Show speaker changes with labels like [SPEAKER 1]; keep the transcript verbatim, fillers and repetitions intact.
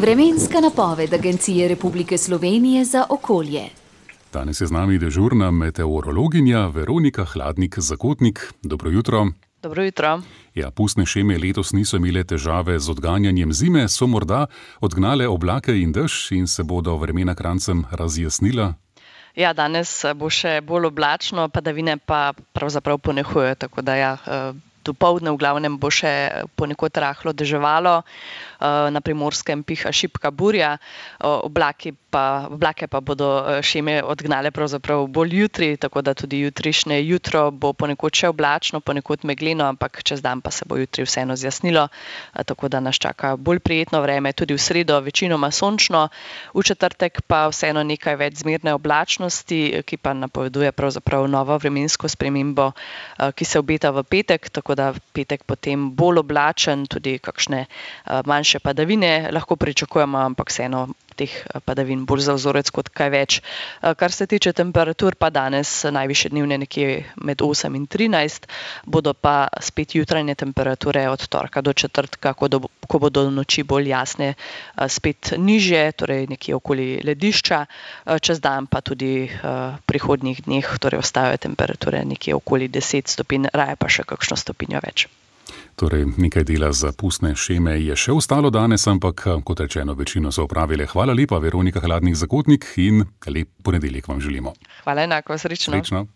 [SPEAKER 1] Vremenska napoved Agencije Republike Slovenije za okolje.
[SPEAKER 2] Danes je z nami dežurna meteorologinja Veronika Hladnik-Zakotnik. Dobro jutro.
[SPEAKER 3] Dobro jutro.
[SPEAKER 2] Ja, pustne šeme letos niso imele težave z odganjanjem zime, so morda odgnale oblake in dež in se bodo vremena krancem razjasnila?
[SPEAKER 3] Ja, danes bo še bolj oblačno, padavine pa pravzaprav ponehujejo, tako da ja, dopoldne v glavnem bo še ponekod rahlo deževalo, na Primorskem piha šibka burja, oblaki pa, oblake pa bodo šeme odgnale pravzaprav bolj jutri, tako da tudi jutrišnje jutro bo ponekod še oblačno, ponekod megleno, ampak čez dan pa se bo jutri vseeno zjasnilo, tako da nas čaka bolj prijetno vreme, tudi v sredo večinoma sončno, v četrtek pa vseeno nekaj več zmerne oblačnosti, ki pa napoveduje pravzaprav novo vremensko spremembo, ki se obeta v petek, tako da petek potem bolj oblačen, tudi kakšne manjše padavine lahko pričakujemo, ampak vseeno teh padavin bolj za vzorec kot kaj več. Kar se tiče temperatur, pa danes najvišje dnevne nekje med osem in trinajst, bodo pa spet jutranje temperature od torka do četrtka, ko, do, ko bodo noči bolj jasne, spet nižje, torej nekje okoli ledišča, čez dan pa tudi v prihodnjih dneh, torej ostajajo temperature nekje okoli deset stopinj, raje pa še kakšno stopinjo več.
[SPEAKER 2] Torej, nekaj dela za pustne šeme je še ostalo danes, ampak, kot rečeno, večino so opravile. Hvala lepa, Veronika Hladnik-Zakotnik, in lep ponedeljek vam želimo.
[SPEAKER 3] Hvala enako, srečno.
[SPEAKER 2] Srečno.